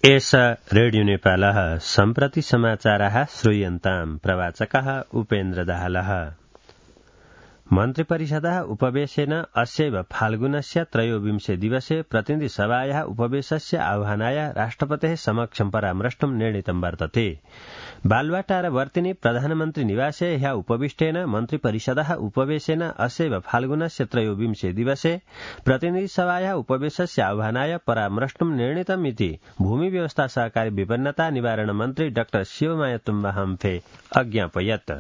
एषा रेडियो नेपालः सम्प्रति समाचाराः श्रूयन्ताम् प्रवाचकः उपेन्द्र दाहालः। मन्त्रिपरिषदः उपवेशेन अस्यैव फाल्गुनस्य 23 दिवसे प्रतिनिधिसभायाः उपवेशस्य आह्वानाय राष्ट्रपतेः समक्षं परामृष्टुं निर्णीतं वर्तते। बालुवाटारवर्तिनि प्रधानमन्त्री निवासे ह्यः उपविष्टेन मन्त्रिपरिषदः उपवेशेन अस्यैव फाल्गुनस्य 23 दिवसे प्रतिनिधिसभायाः उपवेशस्य आह्वानाय परामृष्टुं निर्णीतम् इति भूमि व्यवस्था सहकारी विपन्नता निवारण मन्त्री डा शिवमाया तुम्बा हम्फे अज्ञापयत्।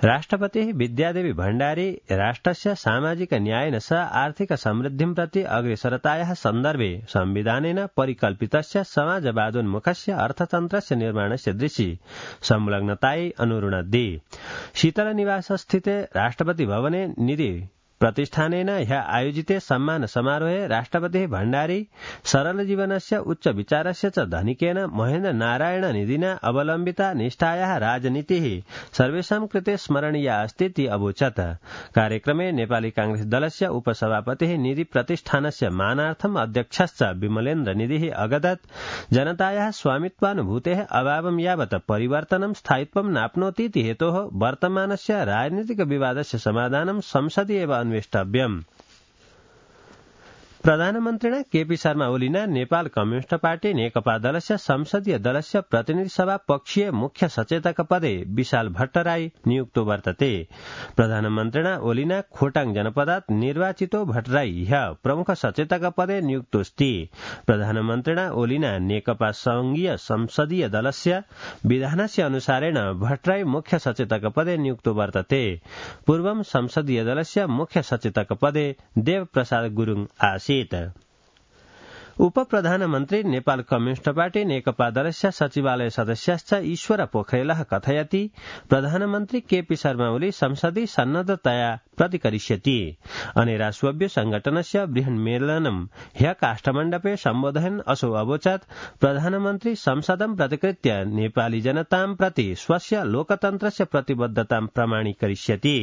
राष्ट्रपतिः विद्यादेवी भण्डारी राष्ट्रस्य सामाजिक न्यायेन सह आर्थिक समृद्धिं प्रति अग्रेसरतायाः सन्दर्भे संविधानेन परिकल्पितस्य समाजवादोन्मुखस्य अर्थतन्त्रस्य निर्माणस्य दृशि संलग्नतायै अनुरुणद्धि। शीतलनिवासस्थिते राष्ट्रपति भवने निधि प्रतिष्ठानेन ह्यः आयोजिते सम्मान समारोहे राष्ट्रपतिः भण्डारी सरल जीवनस्य उच्च विचारस्य च धनिकेन महेन्द्र नारायण निधिना अवलम्बिता निष्ठायाः राजनीतिः सर्वेषां कृते स्मरणीया अस्ति इति अवोचत्। कार्यक्रमे नेपाली कांग्रेस दलस्य उपसभापतिः निधि प्रतिष्ठानस्य मानार्थम् अध्यक्षश्च विमलेन्द्र निधिः अगदत् जनतायाः स्वामित्वानुभूतेः अभावं यावत् परिवर्तनं स्थायित्वं नाप्नोति इति हेतोः वर्तमानस्य राजनीतिक विवादस्य समाधानं संसदि एव अन्वेष्टव्यम्। प्रधानमन्त्रिणा केपी शर्मा ओलीना नेपाल कम्युनिस्ट पार्टी नेकपा दलस्य संसदीय दलस्य प्रतिनिधि सभा पक्षीय मुख्य सचेतक पदे विशाल भट्टराई नियुक्तो वर्तते। प्रधानमन्त्रिणा ओलीना खोटाङ जनपदात् निर्वाचितो भट्टराई ह्यः प्रमुख सचेतक पदे नियुक्तोऽस्ति। प्रधानमन्त्रिणा ओलीना नेकपा संघीय संसदीय दलस्य विधानस्य अनुसारेण भट्टराई मुख्य सचेतक पदे नियुक्तो वर्तते। पूर्वं संसदीय दलस्य मुख्य सचेतक पदे देव प्रसाद गुरुङ आसीत्। उपप्रधानमन्त्री नेपाल कम्युनिस्ट पार्टी नेकपा दलस्य सचिवालय सदस्यश्च ईश्वर पोखरेलः कथयति प्रधानमन्त्री केपी शर्मा ओली संसदि सन्नद्धतया प्रतिकरिष्यति। अनेरा स्वव्य संगठनस्य बृहन्मेलनं ह्यः काष्ठमण्डपे सम्बोधयन् असौ अवोचत् प्रधानमन्त्री संसदं प्रतिकृत्य नेपाली जनतां प्रति स्वस्य लोकतन्त्रस्य प्रतिबद्धतां प्रमाणीकरिष्यति।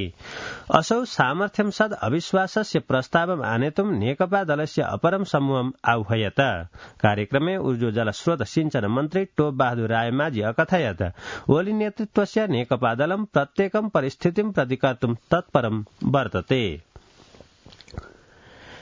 असौ सामर्थ्यं सद् अविश्वासस्य प्रस्तावम् आनेतुं नेकपा दलस्य अपरं समूहम् आह्वयत्। कार्यक्रमे ऊर्जो जलस्रोत सिंचन मन्त्री टोप बहादुर रायमाझी अकथयत् ओली नेतृत्वस्य नेकपा दलं प्रत्येकं परिस्थितिं प्रतिकर्तुं तत्परं वर्तते।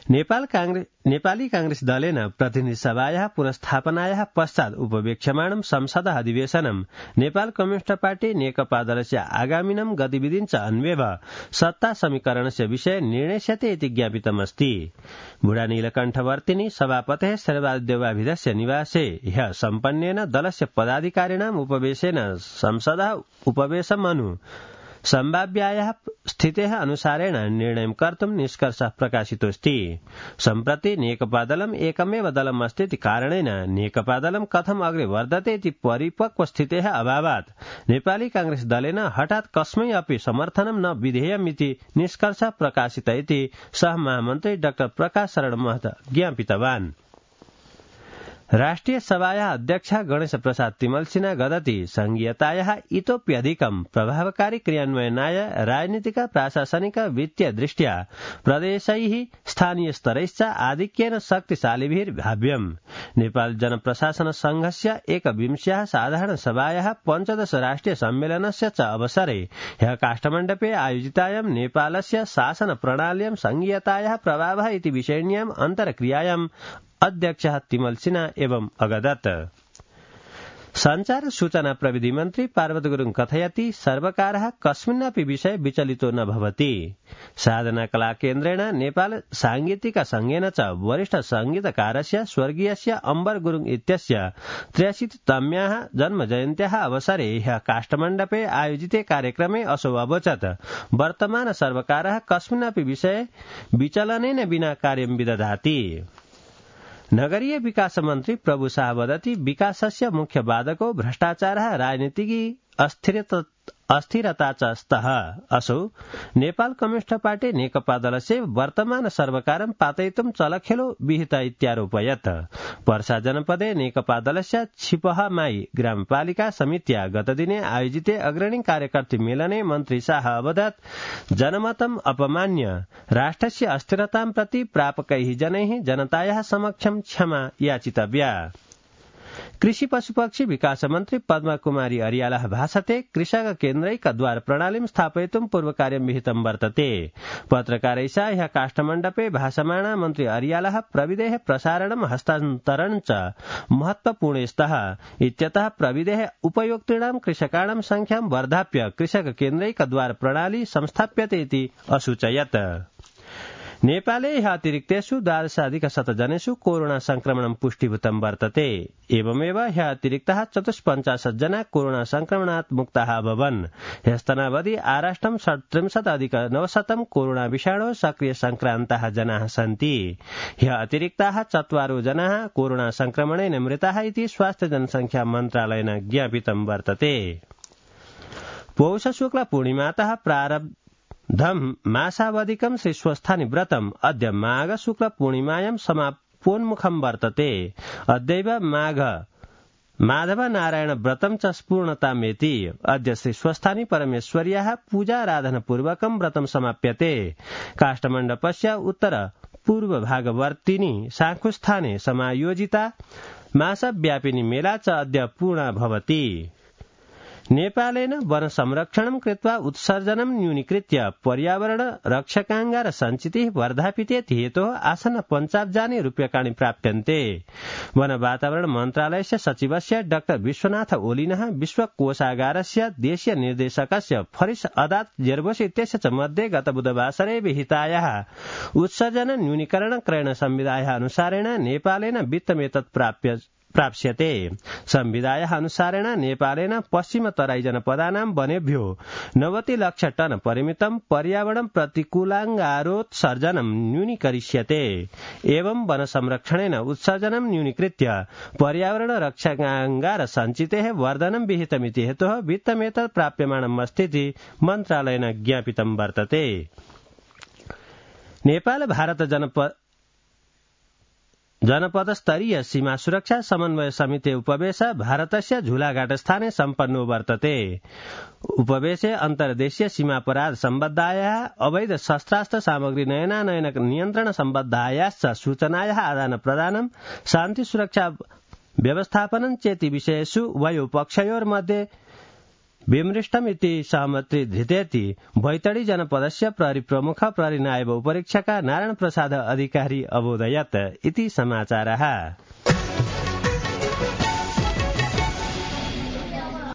नेपाली कांग्रेस दलेन प्रतिनिधिसभायाः पुनस्थापनायाः पश्चात् उपवेक्ष्यमाणं संसद अधिवेशनं नेपाल कम्युनिस्ट पार्टी नेकपा दलस्य आगामिनं गतिविधिञ्च अन्वेव सत्ता समीकरणस्य विषये निर्णेष्यते इति ज्ञापितमस्ति। बुढा नीलकण्ठवर्तिनि सभापतेः सर्वादेवाभिधस्य निवासे ह्यः सम्पन्नेन दलस्य पदाधिकारिणाम् उपवेशेन संसदः उपवेशमनु सम्भाव्यायाः स्थितेः अनुसारेण निर्णयं कर्तुं निष्कर्षः प्रकाशितोऽस्ति। सम्प्रति नेकपा दलम् एकमेव दलम् अस्ति इति कारणेन नेकपा दलं कथम् अग्रे वर्धते इति परिपक्व स्थितेः अभावात् नेपाली कांग्रेस दलेन हठात् कस्मै अपि समर्थनं न विधेयम् इति निष्कर्षः प्रकाशित इति सह महामन्त्री डाक्टर प्रकाश शरण महत ज्ञापितवान्। राष्ट्रिय सभायाः अध्यक्षः गणेश प्रसाद तिमल सिन्हा गदति संघीयतायाः इतोप्यधिकं प्रभावकारी क्रियान्वयनाय राजनीतिक प्राशासनिक वित्तीय दृष्ट्या प्रदेशैः स्थानीय स्तरैश्च आधिक्येन शक्तिशालिभिः भाव्यम्। नेपाल जनप्रशासन संघस्य 21 साधारण सभायाः 15 राष्ट्रिय सम्मेलनस्य च अवसरे ह्यः काष्ठमण्डपे आयोजितायां नेपालस्य शासन प्रणाल्यां संघीयतायाः प्रभावः इति विषयिण्याम् अन्तर्क्रियायाम् अध्यक्षः तिमल सिन्हा एवं अगदत्। संचार सूचना प्रविधि मन्त्री पार्वत गुरुङ कथयति सर्वकारः कस्मिन्नपि विषये विचलितो न भवति। साधना कला केन्द्रेण नेपाल सांगीतिक संघेन च वरिष्ठ संगीतकारस्य स्वर्गीयस्य अम्बर गुरुङ इत्यस्य 83तम्याः जन्म जयन्त्याः अवसरे ह्यः काष्ठमण्डपे आयोजिते कार्यक्रमे असौ अवोचत् वर्तमान सर्वकारः कस्मिन्नपि विषये विचलनेन विना कार्यं विदधाति। नगरीय विकास मन्त्री प्रभु शाह वदति विकासस्य मुख्य बाधको भ्रष्टाचारः राजनीतिकी अस्थिरता च स्तः। असौ नेपाल कम्युनिस्ट पार्टी नेकपा दलस्य वर्तमान सर्वकारं पातयितुं चलखेलो विहित इत्यारोपयत्। पर्सा जनपदे नेकपा दलस्य छिपहमाई ग्रामपालिका समित्या गतदिने आयोजिते अग्रणी कार्यकर्त्री मेलने मन्त्री शाह अवदत् जनमतम् अपमान्य राष्ट्रस्य अस्थिरतां प्रति प्रापकैः जनैः जनतायाः समक्षं क्षमा याचितव्या। कृषि पशुपक्षी विकास मन्त्री पद्मा कुमारी अर्यालः भाषते कृषक केन्द्रैकद्वार प्रणालीं स्थापयितुं पूर्वकार्यं विहितं वर्तते। पत्रकारैषा ह्यः काष्ठमण्डपे भाषमाणा मन्त्री अर्यालः प्रविधेः प्रसारणं हस्तान्तरणं च महत्वपूर्णे स्तः इत्यतः प्रविधेः उपयोक्तॄणां कृषकाणां संख्यां वर्धाप्य कृषक केन्द्रैकद्वार प्रणाली संस्थाप्यते इति असूचयत्। नेपाले ह्यः अतिरिक्तेषु 12,100 जनेषु कोरोना संक्रमणं पुष्टिभूतं वर्तते। एवमेव ह्यः अतिरिक्तः 54 जना कोरोना संक्रमणात् मुक्ताः अभवन्। ह्यस्तनावधि आराष्ट्रं 37,900 कोरोना विषाणो सक्रिय संक्रान्ताः जनाः सन्ति। ह्यः अतिरिक्ताः 4 जनाः कोरोना संक्रमणेन मृताः इति स्वास्थ्य जनसंख्या मन्त्रालयेन ज्ञापितं वर्तते। पौष शुक्ल पूर्णिमातः प्रारब्धं मासावधिकं श्रीस्वस्थानि व्रतम् अद्य माघ शुक्ल पूर्णिमायां समापोन्मुखं वर्तते। अद्यैव माधव नारायण व्रतं च स्पूर्णतामेति। अद्य श्रीस्वस्थानि परमेश्वर्याः पूजाराधनपूर्वकं व्रतं समाप्यते। काष्ठमण्डपस्य उत्तर पूर्वभागवर्तिनि साङ्खुस्थाने समायोजिता मासव्यापिनी मेला च अद्य पूर्णा भवति। नेपालेन वन संरक्षणं कृत्वा उत्सर्जनं न्यूनीकृत्य पर्यावरण रक्षकाङ्गार सञ्चितिः वर्धापितेति हेतोः आसन्न 50 रूप्यकाणि प्राप्यन्ते। वन वातावरण मन्त्रालयस्य सचिवस्य डाक्टर विश्वनाथ ओलिनः विश्वकोशागारस्य देशीय निर्देशकस्य फरिस अदात जेर्बोस इत्यस्य च मध्ये गत बुधवासरे विहितायाः उत्सर्जन न्यूनीकरण क्रयण संविधायाः अनुसारेण नेपालेन वित्तमेतत् प्राप्स्यते। संविधायाः अनुसारेण नेपालेन पश्चिम तराई जनपदानां वनेभ्यो 90 लाख टन परिमितं पर्यावरण प्रतिकूलाङ्गारोत्सर्जनं न्यूनीकरिष्यते। एवं वन संरक्षणेन उत्सर्जनं न्यूनीकृत्य पर्यावरण रक्षकाङ्गार सञ्चितेः वर्धनं विहितमिति हेतोः वित्तमेतत् प्राप्यमाणम् अस्तीति मन्त्रालयेन ज्ञापितं वर्तते। नेपाल भारत जनपद स्तरीय सीमा सुरक्षा समन्वय समिति उपवेश भारतस्य झुलाघाट स्थाने सम्पन्नो वर्तते। उपवेशे अन्तर्देशीय सीमापराध सम्बद्धायाः अवैध शस्त्रास्त्र सामग्री नयनानयन नियन्त्रण सम्बद्धायाश्च सूचनायाः आदान प्रदानं शान्ति सुरक्षा व्यवस्थापनं चेति विषयेषु उभयोपक्षयोर्मध्ये विमृष्टमिति सहमति धृतेति बैतडी जनपदस्य प्रहरी प्रमुख प्रहरी नायब उपरीक्षक नारायण प्रसाद अधिकारी अबोधयत् इति समाचारः।